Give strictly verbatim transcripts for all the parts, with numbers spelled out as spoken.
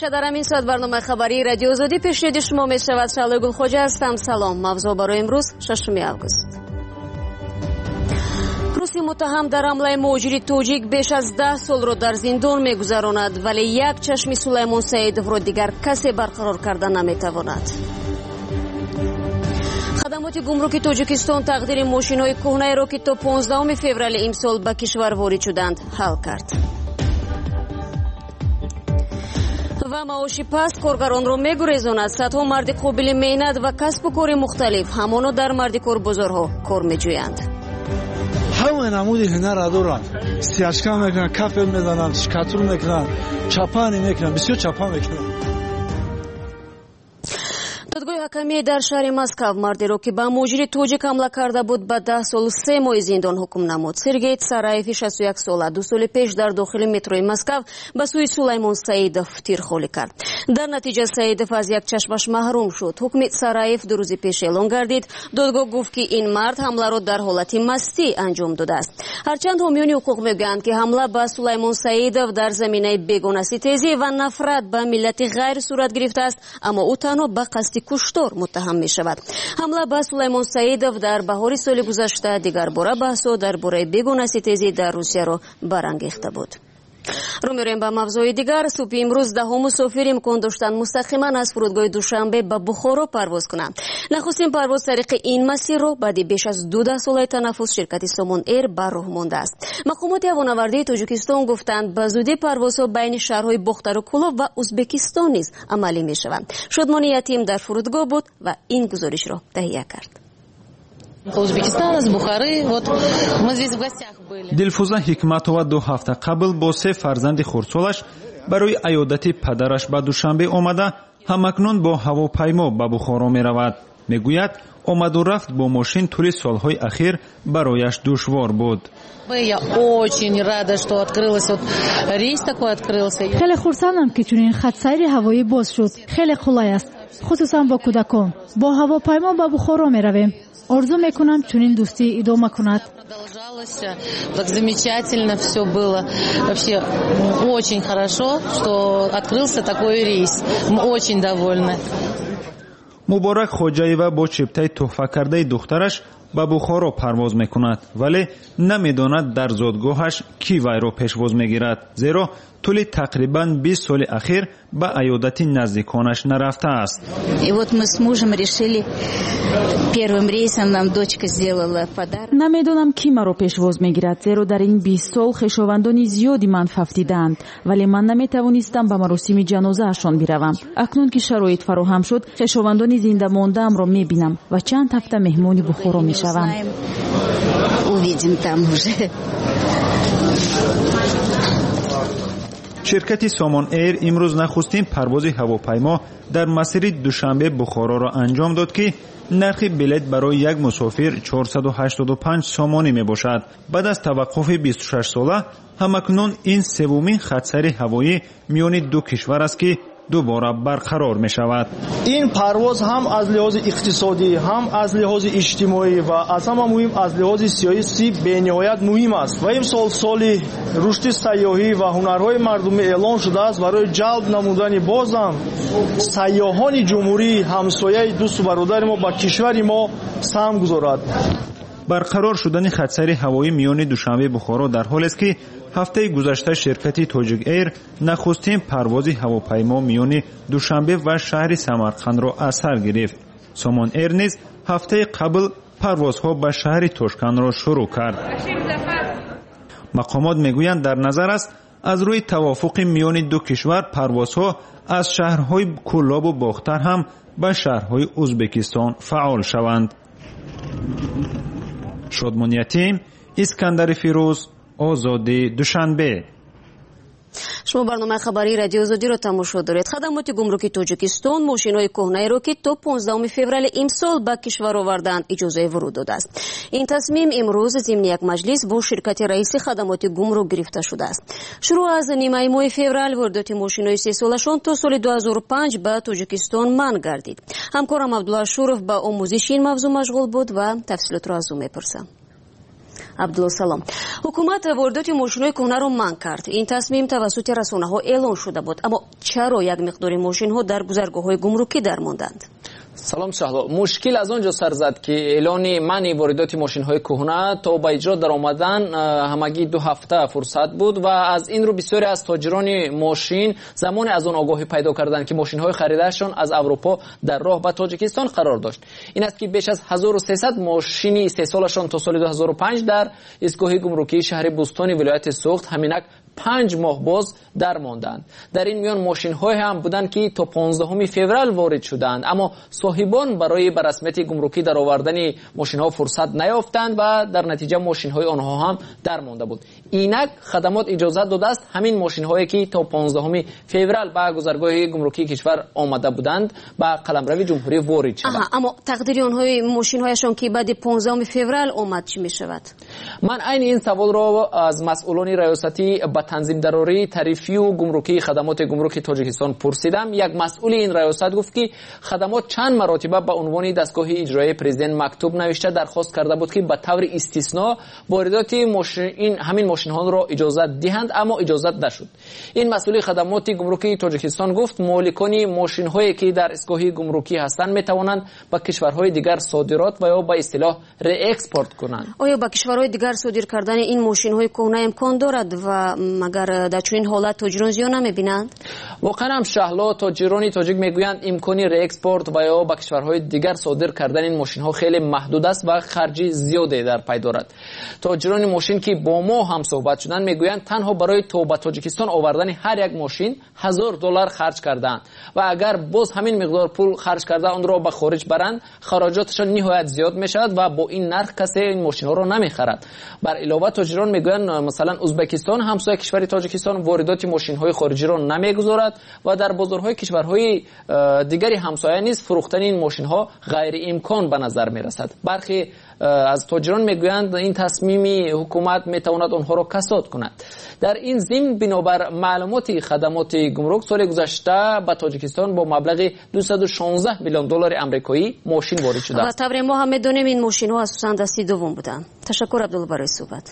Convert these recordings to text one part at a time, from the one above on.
Ҳамеша дар ҳамин соат барномаи хабарии Радио Озодӣ пешниҳоди шумо мешавад. Шаҳлои Гулхоҷа ҳастам. Салом. Мавзӯъ барои имрӯз шашуми август. Руси муттаҳам дар ҳамлаи муҳоҷири тоҷик беш аз даҳ солро дар зиндон мегузаронад, вале як чашми Сулаймон Саидовро дигар касе барқарор карда наметавонад. Хадамоти гумруки Тоҷикистон тақдири мошинҳои кӯҳнаеро, ки то понздаҳуми феврали имсол ба кишвар ворид шуданд, ҳал кард. Ва маоши паст коргаронро мегурезонад. Садҳо марди қобили меҳнат ва касбу кори мухталиф ҳамоно дар мардикорбозорҳо кор меҷӯянд. Ҳама намуди ҳунарро доранд. Сияшка мекунанд, кафел мезананд, шикатур мекунанд, чапани мекунанд, бисёр чапан мекунанд. Додгоҳи ҳакамӣ дар шаҳри Москав мардеро, ки ба муҳоҷири тоҷик ҳамла карда буд, ба даҳ солу се моҳи зиндон ҳукм намуд. Сергей Сараеви шасту як сола ду соли пеш дар дохили метрои Москав ба сӯи Сулаймон Саидов тир холӣ кард. Дар натиҷа Саидов аз як чашмаш маҳрум шуд. Ҳукми Сараев ду рӯзи пеш эълон гардид. Додгоҳ гуфт, ки ин мард ҳамларо дар ҳолати мастӣ анҷом додааст. Ҳарчанд ҳомиёни ҳуқуқ мегӯянд, ки ҳамла ба Сулаймон Саидов дар заминаи бегонаситезӣ ва нафрат ба миллати ғайр сурат гирифтааст, аммо ӯ танҳо ба қасди куштор муттаҳам мешавад. Ҳамла ба Сулаймон Саидов дар баҳори соли гузашта дигарбора баҳсҳо дар бораи бегонаситезӣ дар Русияро барангехта буд. Рӯ мерем ба мавзӯи дигар. Субҳи имрӯз даҳо мусофир имкон доштанд мустақиман аз фурудгоҳи Душанбе ба Бухоро парвоз кунанд. Нахустин парвоз тариқи ин масирро баъди беш аз ду даҳсолаи танаффус ширкати Сомон Эйр ба роҳ мондааст. Мақомоти ҳавонавардии Тоҷикистон гуфтанд, ба зудӣ парвозҳо байни шаҳрҳои Бохтару Кӯлоб ва Узбекистон низ амалӣ мешаванд. Шодмони Ятим дар фурудгоҳ буд ва ин гузоришро таҳия кард. Узбекистан, из Бухары. Вот мы здесь в гостях были. Дилфуза Ҳикматова ду ҳафта қабл бо се фарзанди хурдсолаш барои аёдати падараш ба Душанбе омада, ҳамакнун бо ҳавопаймо ба Бухоро меравад. Мегӯяд, омаду рафт бо мошин тӯли солҳои ахир барояш душвор буд. Я очень рада, что открылась, вот рейс такой открылся. Хеле хурсандам, ки чунин хатсайри ҳавоӣ боз шуд. Хеле қулай аст, хусусан бо кӯдакон. Бо ҳавопаймо ба Бухоро меравем. Орзу мекунам, чунин дӯстӣ идома кунад. Продолжалось, так замечательно все было. Вообще очень хорошо, что открылся такой рейс. Мы очень довольны. Муборак Хоҷаева бо чиптаи тӯҳфакардаи духтараш ба Бухоро парвоз мекунад, вале намедонад дар зодгоҳаш кӣ вайро пешвоз мегирад, зеро тӯли тақрибан бист соли ахир ба аёдати наздиконаш нарафтааст. И вот мы с мужем решили, первым рейсом нам дочка сделала подарок. Намедонам, кӣ маро пешвоз мегирад, зеро дар ин бист сол хешовандони зиёди ман фавтидаанд, вале ман наметавонистам ба маросими ҷанозаашон биравам. Акнун ки шароит фароҳам шуд, хешовандони зиндамондаамро мебинам ва чанд ҳафта меҳмони Бухоро мешавам. Увидим там уже. Ширкати Сомон Эйр имрӯз нахустин парвози ҳавопаймо дар масири Душанбе Бухороро анҷом дод, ки нархи билет барои як мусофир чорсаду ҳаштоду панҷ сомонӣ мебошад. Баъд аз таваққуфи бисту шаш сола ҳамакнун ин севумин хатсайри ҳавоӣ миёни ду кишвар аст, ки дубора барқарор мешавад. Ин парвоз ҳам аз лиҳози иқтисодӣ, ҳам аз лиҳози иҷтимоӣ ва аз ҳама муҳим аз лиҳози сиёсӣ бениҳоят муҳим аст. Ва имсол соли рушди сайёҳӣ ва ҳунарҳои мардумӣ эълон шудааст барои ҷалб намудани бозам сайёҳони ҷумҳурии ҳамсояи дӯсту бародари мо ба кишвари мо саҳм гузорад. Барқарор шудани хатсайри ҳавоӣ миёни Душанбе Бухоро дар ҳолест, ки ҳафтаи гузашта ширкати Тоҷик Эйр нахустин парвози ҳавопаймо миёни Душанбе ва шаҳри Самарқандро аз сар гирифт. Сомон Эйр низ ҳафтаи қабл парвозҳо ба шаҳри Тошкандро шурӯъ кард. Мақомот мегӯянд, дар назар аст аз рӯи тавофуқи миёни ду кишвар парвозҳо аз шаҳрҳои Кӯлобу Бохтар ҳам ба шаҳрҳои Узбекистон фаъол шаванд. Шодмон Ятим, Искандари Фирӯз, Озодӣ, Душанбе. Шумо барномаи хабарии Радио Озодиро тамошо доред. Хадамоти гумруки Тоҷикистон мошинҳои кӯҳнаеро, ки то понздаҳуми феврали имсол ба кишвар овардаанд, иҷозаи вуруд додааст. Ин тасмим имрӯз зимни як маҷлис бо ширкати раиси хадамоти гумрук гирифта шудааст. Шурӯъ аз нимаи моҳи феврал воридоти мошинҳои сесолашон то соли ду ҳазору панҷ ба Тоҷикистон манъ гардид. Ҳамкорам Абдулла Ашуров ба омӯзиши ин мавзӯъ машғул буд ва тафсилотро аз ӯ мепурсам. Абдулло, салом. Ҳукумат воридоти мошинҳои кӯҳнаро манъ кард. Ин тасмим тавассути расонаҳо эълон шуда буд, аммо чаро як миқдори мошинҳо дар гузаргоҳҳои гумрукӣ дармонданд? Салом, Шаҳло. Мушкил аз он ҷо сар зад, ки эълони манъи воридоти мошинҳои кӯҳна то ба иҷро даромадан ҳамагӣ ду ҳафта фурсат буд ва аз ин рӯ бисёре аз тоҷирони мошин замоне аз он огоҳӣ пайдо карданд, ки мошинҳои харидаашон аз Аврупо дар роҳ ба Тоҷикистон қарор дошт. Ин аст, ки беш аз ҳазору сесад мошини истеҳсолашон то соли ду ҳазору панҷ дар истгоҳи гумрукии шаҳри Бӯстони вилояти Суғд ҳаминак панҷ моҳ боз дармонданд. Дар ин миён мошинҳое ҳам буданд, ки то понздаҳуми феврал ворид шуданд, аммо соҳибон барои ба расмияти гумрукӣ даровардани мошинҳо фурсат наёфтанд ва дар натиҷа мошинҳои онҳо ҳам дармонда буд. Инак хадамот иҷозат додааст, ҳамин мошинҳое, ки то понздаҳуми феврал ба гузаргоҳи гумрукии кишвар омада буданд, ба қаламрави ҷумҳурӣ ворид шаванд. Аммо тақдири онҳои мошинҳояшон, ки баъди понздаҳуми феврал омад, чӣ мешавад? Ман айни ин саволро аз масъулони раёсати ба танзимдарории тарифию гумрукии хадамоти гумруки Тоҷикистон пурсидам. Як масъули ин раёсат гуфт, ки хадамот чанд маротиба ба унвони дастгоҳи иҷроияи президент мактуб навишта, дархост карда буд, ки ба таври истисно воридоти ҳамин мошинҳоро иҷозат диҳанд, аммо иҷозат нашуд. Ин масъули хадамоти гумрукии Тоҷикистон гуфт, моликони мошинҳое, ки дар истгоҳи гумрукӣ ҳастанд, метавонанд ба кишварҳои дигар содирот ва ё ба истилоҳ реэкспорт кунанд. Оё ба кишварҳои дигар содир кардани ин мошинҳои кӯҳна имкон дорад ва магар дар чунин ҳолат тоҷирон зиён намебинанд? Воқеан ҳам, Шаҳло, тоҷирони тоҷик мегӯянд, имкони реэкспорт ва ё ба кишварҳои дигар содир кардани ин мошинҳо хеле маҳдуд аст ва харҷи зиёде дар пай дорад. Тоҷирони мошин, ки бо мо ҳам суҳбат шуданд, мегӯянд, танҳо барои то ба Тоҷикистон овардани ҳар як мошин ҳазор доллар харҷ кардаанд ва агар боз ҳамин миқдор пул харҷ карда, онро ба хориҷ баранд, хароҷоташон ниҳоят зиёд мешавад ва бо ин нарх касе ин мошинҳоро намехарад. Бар илова, тоҷирон мегӯянд, масалан, Ӯзбекистон, ҳамсоя кишвари Тоҷикистон, воридоти мошинҳои хориҷиро намегузорад ва дар бозорҳои кишварҳои э, дигари ҳамсоя низ фурӯхтани ин мошинҳо ғайриимкон ба назар мерасад. Бархе э, аз тоҷирон мегӯянд, ин тасмими ҳукумат метавонад онҳоро касод кунад. Дар ин зимн, бинобар маълумоти хадамоти гумрук, соли гузашта ба Тоҷикистон бо маблағи дусаду шонздаҳ миллион доллари амрикоӣ мошин ворид шудааст. Ва тавре мо ҳам медонем, ин мошинҳо асосан дасти дуввум буданд. Ташаккур, Абдулло, барои суҳбат.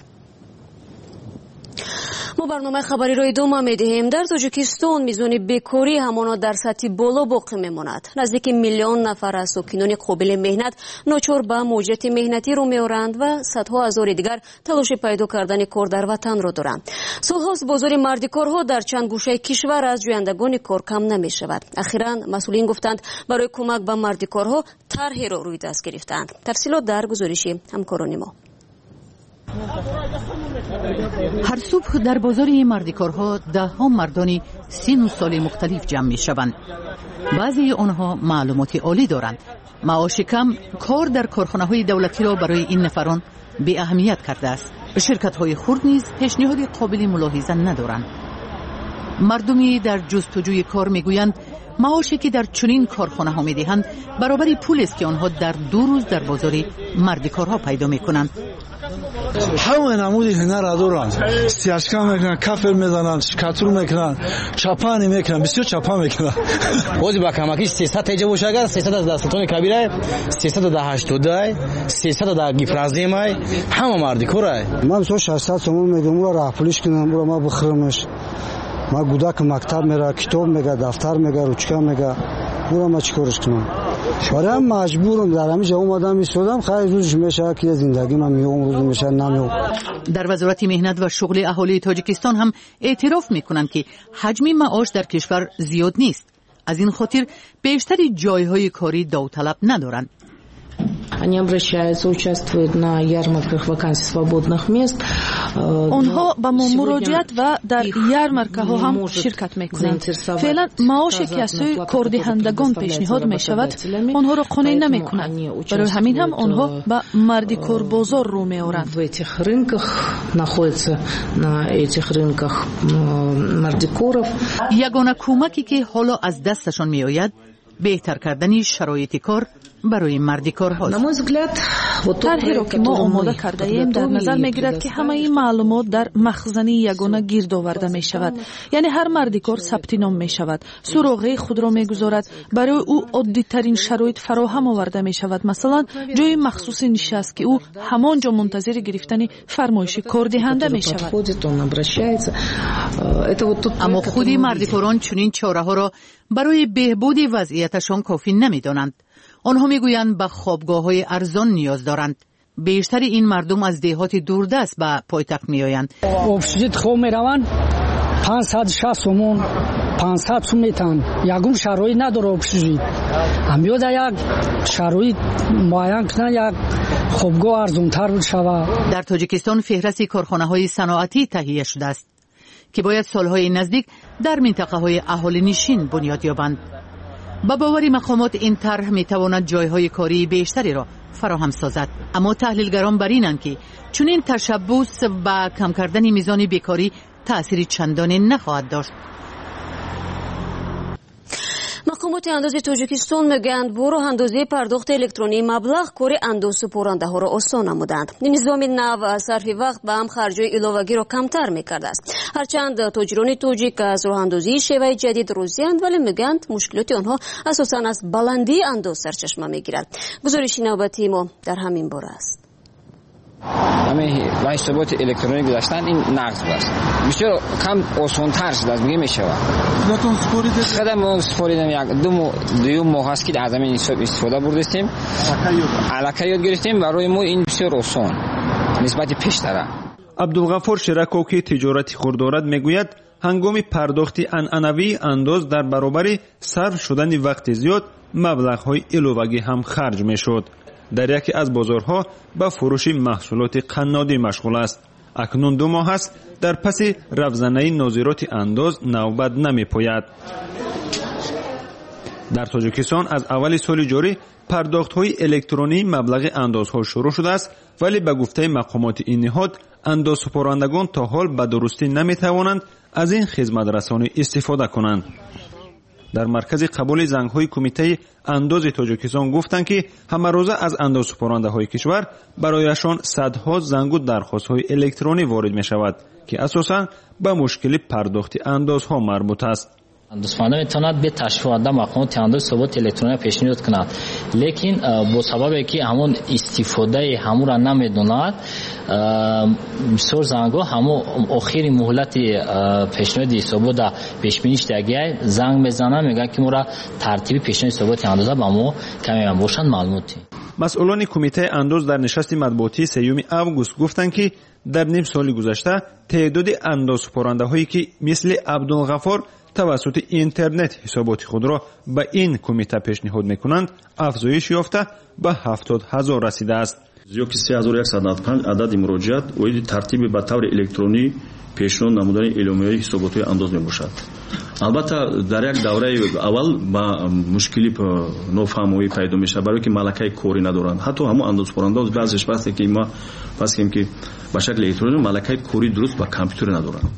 Мо барномаи хабариро идома медиҳем. Дар Тоҷикистон мизони бекорӣ ҳамоно дар сатҳи боло боқӣ мемонад. Наздики миллион нафар аз сокинони қобили меҳнат ночор ба муҳоҷирати меҳнатӣ рӯ меоранд ва садҳо ҳазори дигар талоши пайдо кардани кор дар ватанро доранд. Солҳост бозори мардикорҳо дар чанд гӯшаи кишвар аз ҷӯяндагони кор кам намешавад. Ахиран масъулин гуфтанд, барои кӯмак ба мардикорҳо тарҳеро рӯи даст гирифтаанд. Тафсилот дар гузориши ҳамкорони мо. Ҳар субҳ дар бозори мардикорҳо даҳҳо мардони сину соли мухталиф ҷамъ мешаванд. Баъзеи онҳо маълумоти олӣ доранд. Маоши кам кор дар корхонаҳои давлатиро барои ин нафарон беаҳамият кардааст. Ширкатҳои хурд низ пешниҳоди қобили мулоҳиза надоранд. Мардуми дар ҷустуҷӯи кор мегӯянд, маоше ки дар чунин корхонаҳо медиҳанд, баробари пулест, ки онҳо дар ду рӯз дар бозори мардикорҳо пайдо мекунанд. Ҳама намуди ҳунарро доранд: стяжка мекунанд, кафель мезананд, штукатур мекунанд, чапани мекунанд, бисёр чапа мекунанд. Бози ба камакиш сесад теҷа боша, агар сесад аз дастатони кабирай, сесад да ҳаштодай, сесад да гипроземай, ҳама мардикорай. Ман мисол шашсад сомон мегӯям, ура раҳпулиш кунам, ура ма бихӯрамаш. Ма гудаки мактаб мера, китоб мега, дафтар мега, ручка мега, ура ма чӣ корш кунам? Барои маҷбурам дар ҳамин ҷо омадам, истодам. Хайр, рӯзш мешавад, ки зиндагӣ ман меом, рӯз мешавад, намеом. Дар Вазорати меҳнат ва шуғли аҳолии Тоҷикистон ҳам эътироф мекунанд, ки ҳаҷми маош дар кишвар зиёд нест. Аз ин хотир бештари ҷойҳои корӣ довталаб надоранд. Они обращаются, участвуют на ярмарках вакансий свободных мест. Онҳо ба мо муроҷиат ва дар ярмаркаҳо ҳам ширкат мекунанд. Феълан маоше, ки аз сӯи кордиҳандагон пешниҳод мешавад, онҳоро қонеъ намекунад. Барои ҳамин ҳам онҳо ба мардикорбозор рӯ меоранд. В этих рынках находятся, на этих рынках мардикоров. Ягона кӯмаке, ки ҳоло аз дасташон меояд, беҳтар кардани шароити кор Барои мардикорҳост. Тарҳеро ки мо омода кардаем, дар назар мегирад, ки ҳамаи маълумот дар махзани ягона гирд оварда мешавад. Яъне ҳар мардикор сабти ном мешавад, суроғаи худро мегузорад, барои ӯ оддитарин шароит фароҳам оварда мешавад, масалан ҷои махсуси нишаст, ки ӯ ҳамон ҷо мунтазири гирифтани фармоиши кордиҳанда мешавад. Аммо худи мардикорон чунин чораҳоро барои беҳбуди вазъияташон кофӣ намедонанд. Онҳо мегӯянд, ба хобгоҳҳои арзон ниёз доранд. Бештари ин мардум аз деҳоти дурдаст ба пойтахт меоянд. Общежит хоб мераванд, панҷсад шаст сомон, панҷсад сум метаҳанд. Ягон шароит надора общежит. Ҳамёда як шароит муайян кунанд, як хобгоҳ арзонтар шавад. Дар Тоҷикистон феҳрасти корхонаҳои саноатӣ таҳия шудааст, ки бояд солҳои наздик дар минтақаҳои аҳолинишин бунёд ёбанд. Ба бовари мақомот, ин тарҳ метавонад ҷойҳои кории бештареро фароҳам созад. Аммо таҳлилгарон бар инанд, ки чунин ташаббус ба кам кардани мизони бекорӣ таъсири чандоне нахоҳад дошт. Мақомоти андози Тоҷикистон мегӯянд, бо роҳандозии пардохти электронии маблағ кори андозсупорандаҳоро осон намуданд. Низоми нав сарфи вақт ба ҳам харҷҳои иловагиро камтар мекардааст. Ҳарчанд тоҷирони тоҷик аз роҳандозии шеваи ҷадид розианд, вале мегӯянд, мушкилоти онҳо асосан аз баландии андоз сарчашма мегирад. Гузориши навбатии мо дар ҳамин бора аст. Ҳамин ба ҳисоботи электронӣ гузаштан ин нағз аст. Бисёр кам осонтар шудааст, мегӯ мешавад. Худатон супоридед? Худам мо супоридем, як ду дуюм моҳ аст, ки аз ҳамин ҳисоб истифода бурдастем. Аллакай ёд гирифтем. Барои мо ин бисёр осон нисбати пештара. Абдулғафур Шираков, ки тиҷорати хурд дорад, мегӯяд, ҳангоми пардохти анъанавии андоз дар баробари сарф шудани вақти зиёд маблағҳои иловагӣ ҳам харҷ мешуд. Дар яке аз бозорҳо ба фурӯши маҳсулоти қаннодӣ машғул аст. Акнун ду моҳ аст, дар паси равзанаи нозироти андоз навбат намепояд. Дар Тоҷикистон аз аввали соли ҷорӣ пардохтҳои электронии маблағи андозҳо шурӯъ шудааст, вале ба гуфтаи мақомоти ин ниҳод, андозсупорандагон то ҳол ба дурустӣ наметавонанд аз ин хизматрасонӣ истифода кунанд. Дар маркази қабули зангҳои Кумитаи андози Тоҷикистон гуфтанд, ки ҳамарӯза аз андозсупорандаҳои кишвар барояшон садҳо зангу дархостҳои электронӣ ворид мешавад, ки асосан ба мушкили пардохти андозҳо марбут аст. Андозпарданда метавонад бе ташриф оварда мақомоти андоз ҳисоботи электрониро пешниҳод кунад, лекин бо сабабе ки ҳамон истифодаи ҳамонро намедонад, бисёр зангҳо ҳамон охири муҳлати пешниҳоди ҳисобота пешбинӣ шудагиай занг мезананд, мегӯянд, ки моро тартиби пешниҳоди ҳисоботи андоза ба мо каме ҳам бошанд маълумоти. Масъулони Кумитаи андоз дар нишасти матбуотии сеюми август гуфтанд, ки дар ним соли гузашта теъдоди андозсупорандаҳое, ки мисли Абдулғафор тавассути интернет ҳисоботи худро ба ин кумита пешниҳод мекунанд, афзоиш ёфта ба ҳафтод ҳазор расидааст. Зиёд ки се ҳазору яксаду наваду панҷ адади муроҷиат оиди тартиби ба таври электронӣ пешниҳод намудани эъломияҳои ҳисоботҳои андоз мебошад. Албатта, дар як давраи аввал ба мушкили нофаҳмоӣ пайдо мешавад, барое ки малакаи корӣ надоранд. Ҳатто ҳамон андозсупорандаҳо баъзеш вақте ки ма фарз кунем, ки ба шакли электронӣ малакаи корӣ дуруст ба компютер надоранд.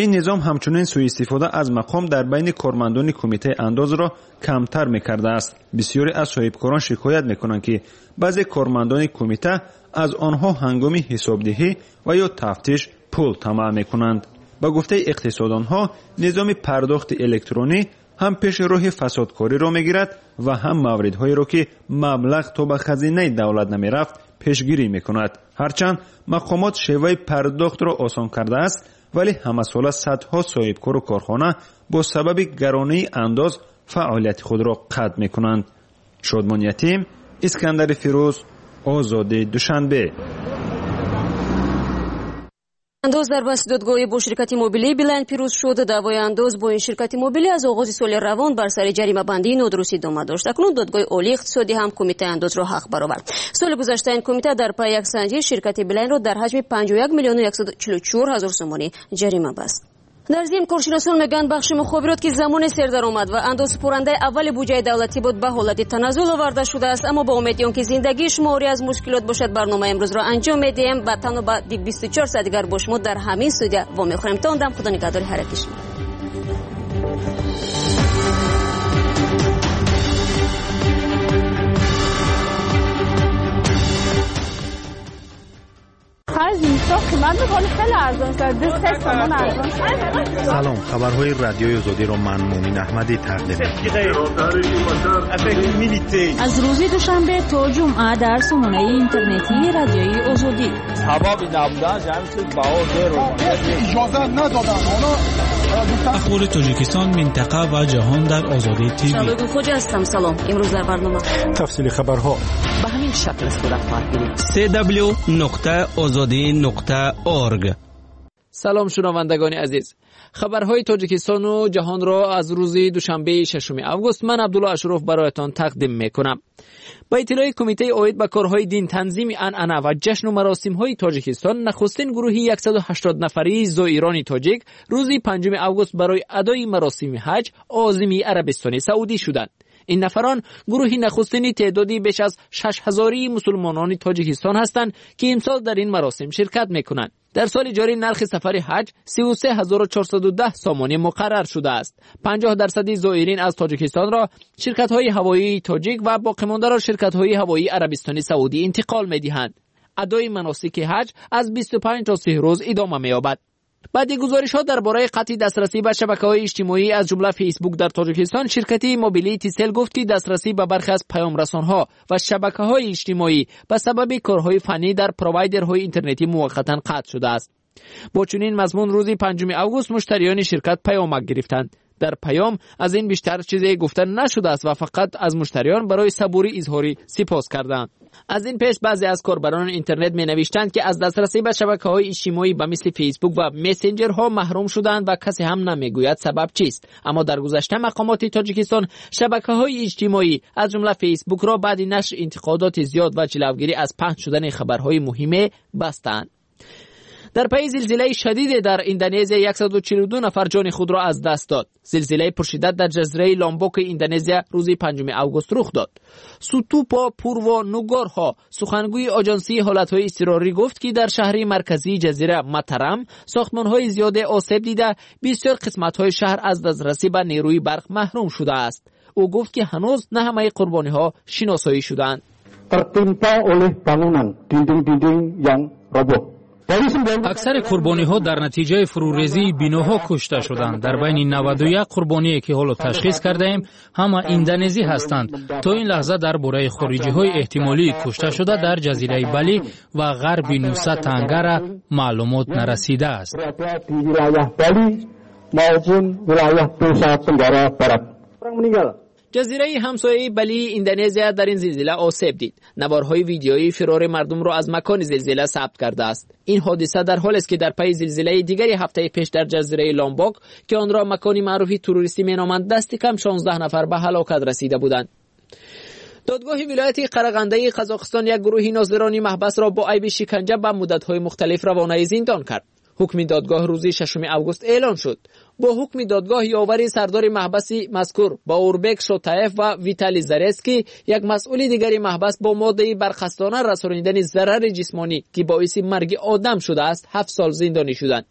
Ин низом ҳамчунин сӯистифода аз мақом дар байни кормандони Кумитаи андозро камтар мекардааст. Бисёре аз соҳибкорон шикоят мекунанд, ки баъзе кормандони кумита аз онҳо ҳангоми ҳисобдиҳӣ ва ё тафтиш пул тамаъ мекунанд. Ба гуфтаи иқтисодонҳо, низоми пардохти электронӣ ҳам пеши роҳи фасодкориро мегирад ва ҳам мавридҳоеро, ки маблағ то ба хазинаи давлат намерафт, пешгирӣ мекунад. Ҳарчанд мақомот шеваи пардохтро осон кардааст, вале ҳамасола садҳо соҳибкору корхона бо сабаби гаронии андоз фаъолияти худро қатъ мекунанд. Шодмон Ятим, Искандари Фирӯз, Озоди, Душанбе. Андоз дар баҳси додгоҳӣ бо ширкати мобилии Билайн пирӯз шуд. Даъвои андоз бо ин ширкати мобилӣ аз оғози соли равон бар сари ҷаримабандии нодуруст идома дошт. Акнун Додгоҳи олии иқтисодӣ ҳам Кумитаи андозро ҳақ баровард. Соли гузашта ин кумита дар пайи як санҷиш ширкати Билайнро дар ҳаҷми панҷоҳу як миллиону яксаду чилу чор ҳазор сомонӣ ҷарима баст. Дар зимн коршиносон мегӯянд, бахши мухобирот, ки замоне сердаромад ва андозсупорандаи аввали буҷаи давлатӣ буд, ба ҳолати таназзул оварда шудааст. Аммо ба умеди он ки зиндагии шумо орӣ аз мушкилот бошад, барномаи имрӯзро анҷом медиҳем ва танҳо ба бисту чор соат дигар бо шумо дар ҳамин студия вомехӯрем. То он дам худо нигаҳдори ҳар яки шумо. охири зимистон қимат буд, ҳоло хеле арзон шуд. Ду се сомон арзон шуд. Салом, хабарҳои радиои Озодиро ман Мумин Аҳмадӣ тақдим мекунам. Аз рӯзи душанбе то ҷумъа дар сомонаи интернетии радиои Озодӣ. Сабаби набудан ҳамин чиз баҳо зеро. Иҷоза надоданд. Онҳо Ахбори Тоҷикистон, минтақа ва ҷаҳон дар Озодӣ ТВ. Шалугу Хоҷа ҳастам. Салом. Имрӯз дар барнома тафсили хабарҳо ба ҳамин шакл сурат хоҳад гирифт. си дабл ю нуқта озодӣ нуқта орг. Салом шунавандагони азиз. Хабарҳои Тоҷикистону ҷаҳонро аз рӯзи душанбеи шашуми август ман Абдулло Ашуров бароятон тақдим мекунам. Ба иттилои Кумитаи оид ба корҳои динтанзими анъана ва ҷашну маросимҳои Тоҷикистон, нахустин гурӯҳи яксаду ҳаштод нафарии зоирони тоҷик рӯзи панҷуми август барои адои маросими ҳаҷ озими Арабистони Саудӣ шуданд. Ин нафарон гурӯҳи нахустини теъдоди беш аз шаш ҳазории мусулмонони Тоҷикистон ҳастанд, ки имсол дар ин маросим ширкат мекунанд. Дар соли ҷорӣ нархи сафари ҳаҷ сиву се ҳазору чорсаду даҳ сомонӣ муқаррар шудааст. панҷоҳ дарсади зоирин аз Тоҷикистонро ширкатҳои ҳавоии тоҷик ва боқимондаро ширкатҳои ҳавоии Арабистони Саудӣ интиқол медиҳанд. Адои маносики ҳаҷ аз бисту панҷ то си рӯз идома меёбад. Баъди гузоришҳо дар бораи қатъи дастрасӣ ба шабакаҳои иҷтимоӣ аз ҷумла Фейсбук дар Тоҷикистон, ширкати мобилии Тисел гуфт, ки дастрасӣ ба бархе аз паёмрасонҳо ва шабакаҳои иҷтимоӣ ба сабаби корҳои фаннӣ дар провайдерҳои интернетӣ муваққатан қатъ шудааст. Бо чунин мазмун рӯзи панҷуми август муштариёни ширкат паёмак гирифтанд. Дар паём аз ин бештар чизе гуфта нашудааст ва фақат аз муштариён барои сабурӣ изҳори сипос карданд. Аз ин пеш баъзе аз корбарони интернет менавиштанд, ки аз дастрасӣ ба шабакаҳои иҷтимоӣ ба мисли Фейсбук ва мессенҷерҳо маҳрум шуданд ва касе ҳам намегӯяд сабаб чист. Аммо дар гузашта мақомоти Тоҷикистон шабакаҳои иҷтимоӣ аз ҷумла Фейсбукро баъди нашри интиқодоти зиёд ва ҷилавгирӣ аз паҳн шудани хабарҳои муҳиме бастанд. Дар пайи зилзилаи шадиде дар Индонезия яксаду чилу ду нафар ҷони худро аз даст дод. Зилзилаи пуршиддат дар ҷазираи Ломбоки Индонезия рӯзи панҷуми август рух дод. Сутупо Пурво Нугорҳо, сухангӯи оҷонсии ҳолатҳои изтирорӣ, гуфт, ки дар шаҳри марказии ҷазира Матарам сохтмонҳои зиёде осеб дида, бисёр қисматҳои шаҳр аз дастрасӣ ба нерӯи барқ маҳрум шудааст. Ӯ гуфт, ки ҳанӯз на ҳамаи қурбониҳо шиносоӣ шуданд. Tertimpa oleh bangunan dinding-dinding yang roboh. Аксари қурбониҳо дар натиҷаи фурӯрезии биноҳо кушта шуданд. Дар байни наваду як қурбоние ки ҳоло ташхис кардаем, ҳама индонезӣ ҳастанд. То ин лаҳза дар бораи хориҷиҳои эҳтимолии кушташуда дар ҷазираи Бали ва ғарби Нуса Тангара маълумот нарасидааст. Ҷазираи ҳамсояи Балии Индонезия дар ин зилзила осеб дид. Наворҳои видеоии фирори мардумро аз макони зилзила сабт кардааст. Ин ҳодиса дар ҳолест, ки дар пайи зилзилаи дигари ҳафтаи пеш дар ҷазираи Ломбок, ки онро макони маъруфи туристӣ меноманд, дасти кам шонздаҳ нафар ба ҳалокат расида буданд. Додгоҳи вилояти Қарағандаи Қазоқистон як гурӯҳи нозирони маҳбасро бо айби шиканҷа ба муддатҳои мухталиф равонаи зиндон кард. Ҳукми додгоҳ рӯзи шашуми август эълон шуд. Бо ҳукми додгоҳ ёвари сардори маҳбаси мазкур Баурбек Шотаев ва Виталий Зарецкий, як масъули дигари маҳбас, бо моддаи барқасдона расонидани зарари ҷисмонӣ, ки боиси марги одам шудааст, ҳафт сол зиндонӣ шуданд.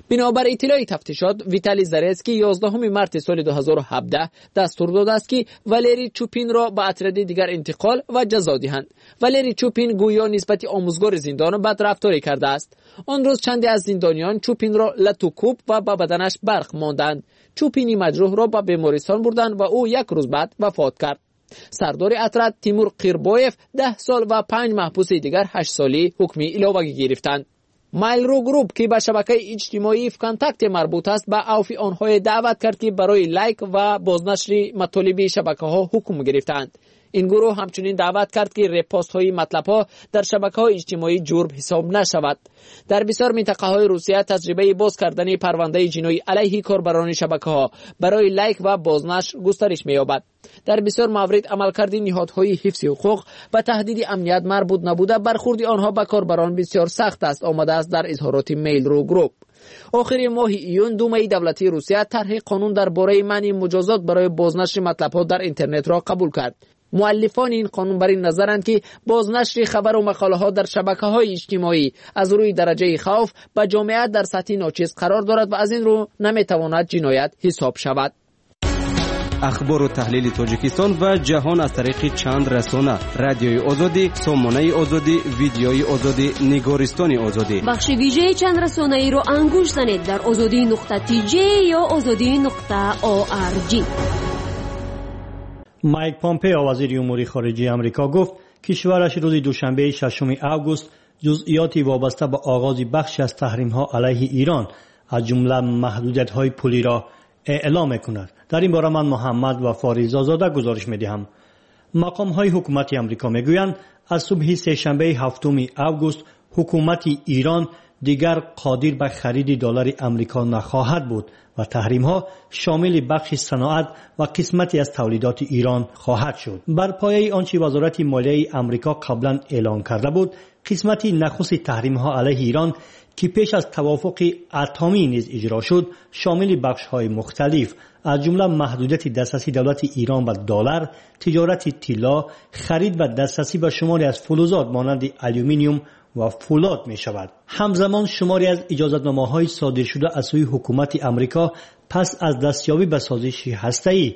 Бинобар иттилои тафтишот, Виталий Зарецкий ёздаҳуми марти соли ду ҳазору ҳабдаҳ дастур додааст, ки Валерий Чупинро ба отряди дигар интиқол ва ҷазо диҳанд. Валерий Чупин гӯё нисбати омӯзгори зиндон бадрафторӣ кардааст. Он рӯз чанде аз зиндониён Чупинро латукӯб ва ба баданаш барқ монданд. Чупини маҷрӯҳро ба бемористон бурданд ва ӯ як рӯз баъд вафот кард. Сардори отряд Тимур Қирбоев даҳ сол ва панҷ маҳбуси дигар ҳашт солӣ ҳукми иловагӣ гирифтанд. Mail.ru Group, ки ба шабакаи иҷтимоии ВКонтакте марбут аст, ба авфи онҳое даъват кард, ки барои лайк ва бознашри матолиби шабакаҳо ҳукм гирифтаанд. Ин гурӯҳ ҳамчунин даъват кард, ки репостҳои матлабҳо дар шабакаҳои иҷтимоӣ ҷурм ҳисоб нашавад. Дар бисёр минтақаҳои Русия таҷрибаи боз кардани парвандаи ҷиноӣ алайҳи корбарони шабакаҳо барои лайк ва бознашр густариш меёбад. Дар бисёр маврид амалкарди ниҳодҳои ҳифзи ҳуқуқ ба таҳдиди амният марбут набуда, бархурди онҳо ба корбарон бисёр сахт аст, омадааст дар изҳороти Mail.ru Group. Охири моҳи июн Думаи давлатии Русия тарҳи қонун дар бораи манъи муҷозот барои бознашри матлабҳо дар интернетро қабул кард. Муаллифони ин қонун бар ин назаранд, ки бознашри хабару мақолаҳо дар шабакаҳои иҷтимоӣ аз рӯи дараҷаи хавф ба ҷомеа дар сатҳи ночиз қарор дорад ва аз ин рӯ наметавонад ҷиноят ҳисоб шавад. Ахбору таҳлили Тоҷикистон ва ҷаҳон аз тариқи чанд расона: Радиои Озодӣ, Сомонаи Озодӣ, Видеои Озодӣ, Нигористони Озодӣ. Бахши вижаи чанд расонаиро ангуш занед дар озодӣ нуқта тж ё озодӣ нуқта орг. Майк Помпео, вазири умури хориҷии Амрико, гуфт кишвараш рӯзи душанбеи шашуми август ҷузъиёти вобаста ба оғози бахши аз таҳримҳо алайҳи Ирон, аз ҷумла маҳдудиятҳои пулиро эълом мекунад. Дар ин бора ман Муҳаммад Вафо Ризозода гузориш медиҳам. Мақомҳои ҳукумати Амрико мегӯянд аз субҳи сешанбеи ҳафтуми август ҳукумати Ирон дигар қодир ба хариди доллари Амрико нахоҳад буд ва таҳримҳо шомили бахши саноат ва қисмате аз тавлидоти Ирон хоҳад шуд. Бар пояи он чи Вазорати молияи Амрико қаблан эълон карда буд, қисмати нахусти таҳримҳо алайҳи Ирон ки пеш аз тавофуқи атомӣ низ иҷро шуд, шомили бахшҳои мухталиф аз ҷумла маҳдудияти дастрасии давлати Ирон ба доллар, тиҷорати тилло, харид ва дастрасӣ ба шумори аз фулузот монанди алюминиум ва фулод мешавад. Ҳамзамон шумори аз иҷозатномаҳои содиршуда аз сӯи ҳукумати Амрико пас аз дастёбӣ ба созиши ҳастаӣ,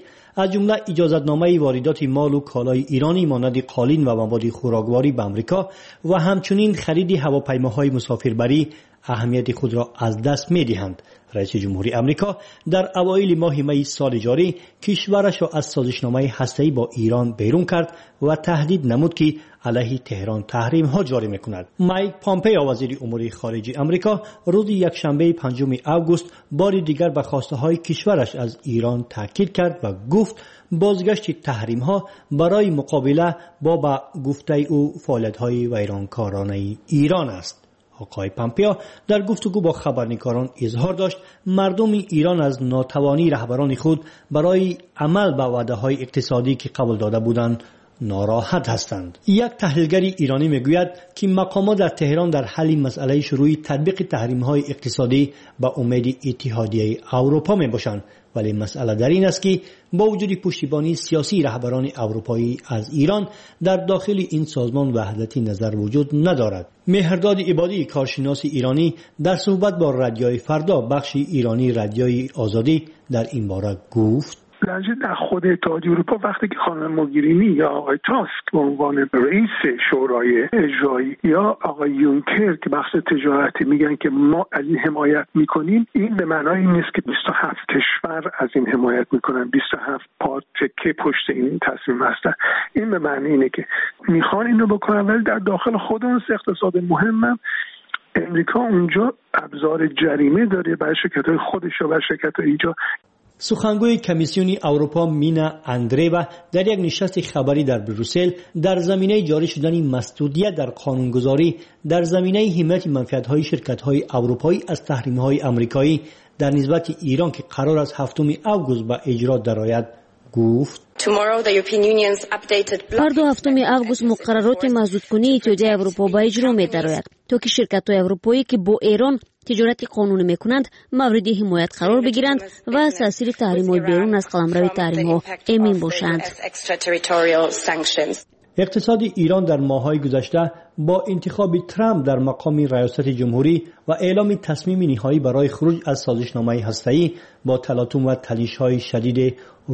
аз ҷумла иҷозатномаи воридоти молу колои иронӣ монанди қолин ва маводи хӯрокворӣ ба Амрико ва ҳамчунин хариди ҳавопаймоҳои мусофирбарӣ аҳамияти худро аз даст медиҳанд. Раиси ҷумҳури Амрико дар авоили моҳи майи соли ҷорӣ кишварашро аз созишномаи ҳастаӣ бо Ирон берун кард ва таҳдид намуд ки алайҳи Теҳрон таҳримҳо ҷорӣ мекунад. Майк Помпео, вазири умури хориҷии Амрико, рӯзи якшанбеи панҷуми август бори дигар ба хостаҳои кишвараш аз Ирон таъкид кард ва гуфт бозгашти таҳримҳо барои муқобила бо ба гуфтаи ӯ фаъолиятҳои вайронкоронаи Ирон аст. Оқои Помпео дар гуфтугӯ бо хабарнигорон изҳор дошт мардуми Ирон аз нотавонии раҳбарони худ барои амал ба ваъдаҳои иқтисодӣ ки қабул дода буданд нороҳат ҳастанд. Як таҳлилгари иронӣ мегӯяд ки мақомот дар Теҳрон дар ҳалли масъалаи шурӯи татбиқи таҳримҳои иқтисодӣ ба умеди Иттиҳодияи Аврупо мебошанд, вале масъала дар ин аст ки бо вуҷуди пуштибонии сиёсии раҳбарони аврупоӣ аз Ирон дар дохили ин созмон ваҳдати назар вуҷуд надорад. Меҳрдод Ибодӣ, коршиноси иронӣ, дар суҳбат бо Радиои Фардо, бахши иронии Радиои Озодӣ, дар ин бора гуфт: در خود اتحادیه اروپا وقتی که خانم موگرینی یا آقای تاسک به عنوان رئیس شورای اجرایی یا آقای یونکر که بخش تجارتی میگن که ما از این حمایت میکنیم، این به معنای این نیست که بیست و هفت کشور از این حمایت میکنن، بیست و هفت پارچه پشت این تصمیم هستن. این به معنی اینه که میخوان اینو بکنن، ولی در داخل خود اون اقتصاد مهمم امریکا اونجا ابزار جریمه داره برای شرکت‌های خودش و برای شرکت‌های اینجا. سخنگوی کمیسیون اروپا مینا اندریوا در یک نشست خبری در بروسل در زمینه جاری شدن مسدودیت در قانونگذاری در زمینه حمایت منفعت‌های شرکت‌های اروپایی از تحریم‌های آمریکایی در نسبت ایران که قرار است هفتم آگوست به اجرا درآید گفت: фардо ҳафтуми август муқаррароти маҳдудкунии Иттиҳодияи Аврупо ба иҷро медарояд, то ки ширкатҳои аврупоӣ ки бо Эрон тиҷорати қонунӣ мекунанд мавриди ҳимоят қарор бигиранд ва аз таъсири таҳримҳои берун аз қаламрави таҳримҳо эмин бошанд. иқтисоди Ирон дар моҳҳои гузашта бо интихоби Трамп дар мақоми раёсати ҷумҳурӣ ва эъломи тасмими ниҳоӣ барои хуруҷ аз созишномаи ҳастаӣ бо талотум ва танишҳои шадид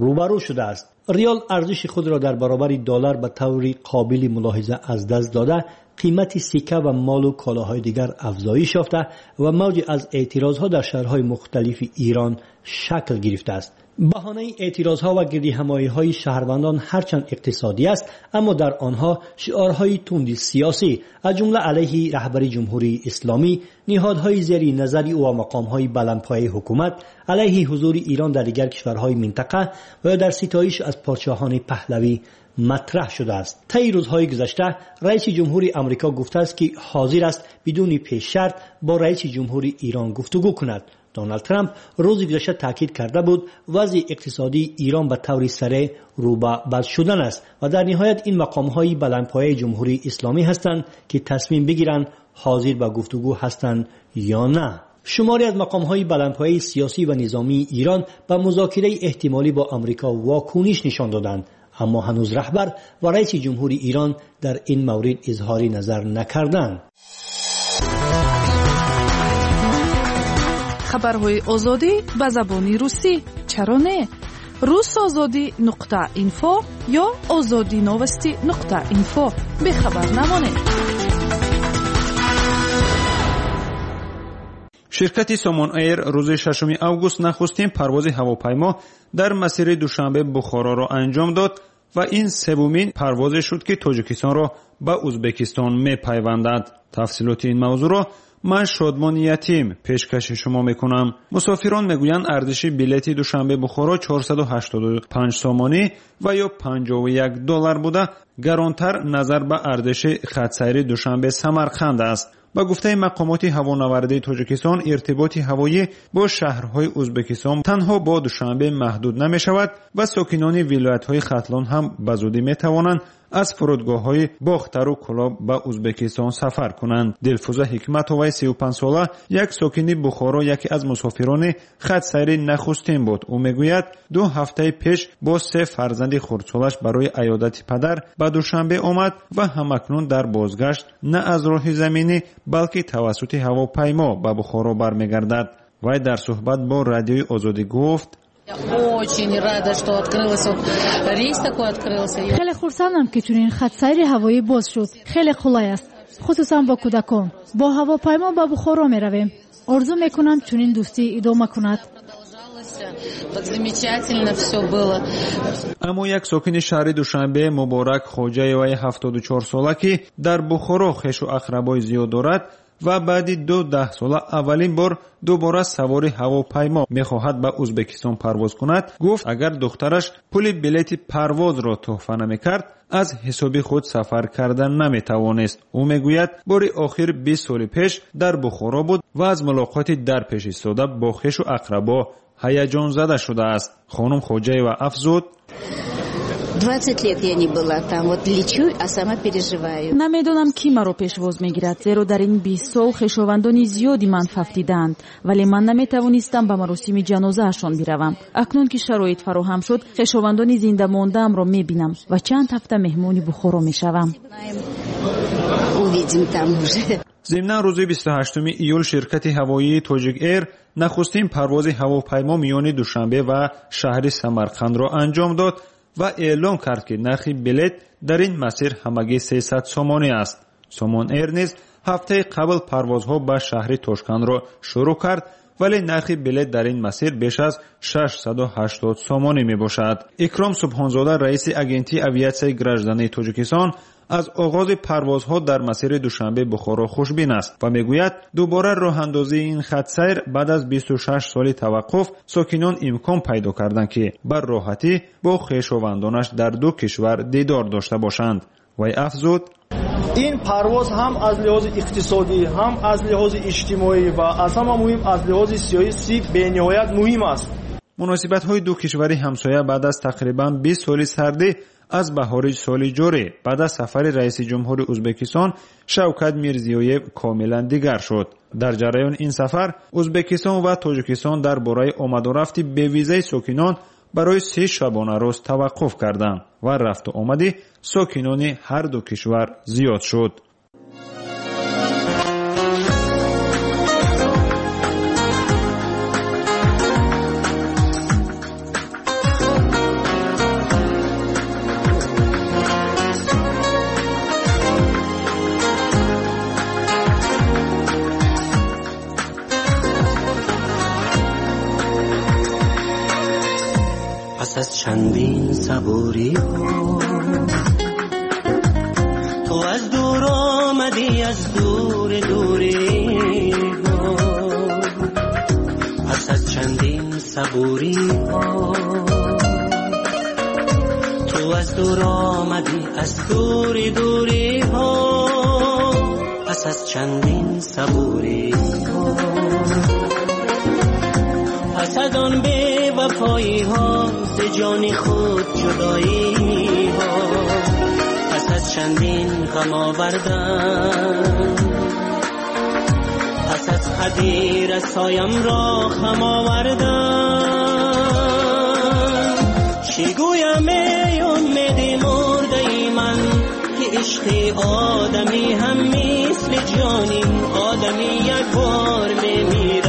рӯбарӯ шудааст. риёл арзиши худро дар баробари доллар ба таври қобили мулоҳиза аз даст дода, қимати сикка ва молу колоҳои дигар афзоиш ёфта ва мавҷи аз эътирозҳо дар шаҳрҳои мухталифи Ирон шакл гирифтааст. баҳонаи эътирозҳо ва гирдиҳамоиҳои шаҳрвандон ҳарчанд иқтисодӣ аст, аммо дар онҳо шиорҳои тунди сиёсӣ аз ҷумла алайҳи раҳбари ҷумҳурии исломӣ, ниҳодҳои зери назари ӯ ва мақомҳои баландпояи ҳукумат, алайҳи ҳузури Ирон дар дигар кишварҳои минтақа ва ё дар ситоиш аз подшоҳони паҳлавӣ матраҳ шудааст. таи рӯзҳои гузашта раиси ҷумҳури Амрико гуфтааст ки ҳозир аст бидуни пешшарт бо раиси ҷумҳури Ирон гуфтугӯ кунад. Доналд Трамп рӯзи гузашта таъкид карда буд вазъи иқтисодии Ирон ба таври сареъ рӯ ба бад шудан аст ва дар ниҳоят ин мақомҳои баландпояи ҷумҳурии исломӣ ҳастанд ки тасмим бигиранд ҳозир ба гуфтугӯ ҳастанд ё на. шумори аз мақомҳои баландпояи сиёсӣ ва низомии Ирон ба музокираи эҳтимолӣ бо Амрико вокуниш нишон доданд, аммо ҳанӯз раҳбар ва раиси ҷумҳури Ирон дар ин маврид изҳори назар накарданд. Хабарҳои Озодӣ ба забони русӣ чаро не? Русозодӣ нуқта инфо ё озодӣ новости нуқта инфо. Бехабар намонед. Ширкати Сомон Эйр рӯзи шашуми август нахустин парвози ҳавопаймо дар масири Душанбе Бухороро анҷом дод ва ин севумин парвозе шуд, ки Тоҷикистонро ба Ӯзбекистон мепайвандад. Тафсилоти ин мавзӯъро ман Шодмон Ятим пешкаши шумо мекунам. Мусофирон мегӯянд, арзиши билети Душанбе Бухоро чорсаду ҳаштоду панҷ сомонӣ ва ё панҷоҳу як доллар буда, гаронтар назар ба арзиши хатсайри Душанбе Самарқанд аст. Ба гуфтаи мақомоти ҳавонавардии Тоҷикистон, иртиботи ҳавоӣ бо шаҳрҳои Ӯзбекистон танҳо бо Душанбе маҳдуд намешавад ва сокинони вилоятҳои Хатлон ҳам ба зудӣ метавонанд аз фурудгоҳҳои Бохтару Кӯлоб ба Ӯзбекистон сафар кунанд. Дилфуза Ҳикматоваи сию панҷсола, як сокини Бухоро, яке аз мусофирони хатсайри нахустин буд. Ӯ мегӯяд, ду ҳафтаи пеш бо се фарзанди хурдсолаш барои аёдати падар ба Душанбе омад ва ҳамакнун дар бозгашт на аз роҳи заминӣ, балки тавассути ҳавопаймо ба Бухоро бармегардад. Вай дар суҳбат бо Радиои Озодӣ гуфт: Очень рада, что открылся вот рейс такой открылся. Хеле хурсандам, ки чунин хатсайри ҳавоӣ боз шуд. Хеле қулай аст, хусусан бо кӯдакон. Бо ҳавопаймо ба Бухоро меравем. Орзу мекунам, чунин дӯстӣ идома кунад. Так замечательно все было. Аммо як сокини шаҳри Душанбе, Муборак Хоҷаеваи ҳафтоду чорсола, ки дар Бухоро хешу ақрабои зиёд дорад ва баъди ду даҳсола аввалин бор дубора савори ҳавопаймо мехоҳад ба Ӯзбекистон парвоз кунад, гуфт, агар духтараш пули билети парвозро тӯҳфа намекард, аз ҳисоби худ сафар карда наметавонист. Ӯ мегӯяд, бори охир бист соли пеш дар Бухоро буд ва аз мулоқоти дар пеш истода бо хешу ақрабо ҳаяҷонзада шудааст. Хонум Хоҷаева афзуд: двадцать лет я не была там, вот лечу, а сама переживаю. Намедонам, ки маро пешвоз мегирад, зеро дар ин бист сол хешовандони зиёди ман фавтидаанд, вале ман наметавонистам ба маросими ҷанозаашон биравам. Акнун ки шароит фароҳам шуд, хешовандони зинда мондаамро мебинам ва чанд ҳафта меҳмони Бухоро мешавам. Увидим там уже. Зимнан рӯзи бисту ҳаштуми июл ширкати ҳавоии Тоҷик Эйр нахустин парвози ҳавопаймо миёни Душанбе ва шаҳри Самарқандро анҷом дод ва эълон кард, ки нархи билет дар ин масир ҳамагӣ сесад сомонӣ аст. Сомон Эйр низ ҳафтаи қабл парвозҳо ба шаҳри Тошкандро шурӯъ кард, вале нархи билет дар ин масир беш аз шашсаду ҳаштод сомонӣ мебошад. Икром Субҳонзода, раиси агентии авиатсияи граждании Тоҷикистон, аз оғози парвозҳо дар масири Душанбе Бухоро хушбин аст ва мегӯяд, дубора роҳандозии ин хатсайр баъд аз бисту шаш соли таваққуф сокинон имкон пайдо карданд, ки бар роҳатӣ бо хешовандонаш дар ду кишвар дидор дошта бошанд. Вай афзуд: ин парвоз ҳам аз лиҳози иқтисодӣ, ҳам аз лиҳози иҷтимоӣ ва аз ҳама муҳим аз лиҳози сиёсӣ бениҳоят муҳим аст. Муносибатҳои ду кишвари ҳамсоя баъд аз тақрибан бист соли сардӣ аз баҳори соли ҷорӣ баъд аз сафари раиси ҷумҳури Ӯзбекистон Шавкат Мирзиёев комилан дигар шуд. Дар ҷараёни ин сафар Ӯзбекистон ва Тоҷикистон дар бораи омадурафти бевизаи сокинон барои се шабонарӯз таваққуф карданд ва рафту омади сокинони ҳар ду кишвар зиёд шуд. پس از چندین صبوری ها تو از دور آمدی، از دور دوری ها، پس از چندین صبوری ها تو از دور آمدی، از دور دوری ها، پس از چندین صبوری ها، پس از آن بی وفایی ها، ز جان خود جدایی ها، پس از چندین غم آوردن، پس از قدیر رسایم را خم آوردن، چی گویم ای امید مرده ای من، که عشق آدمی هم مثل جانی آدمی یک بار میمیرد.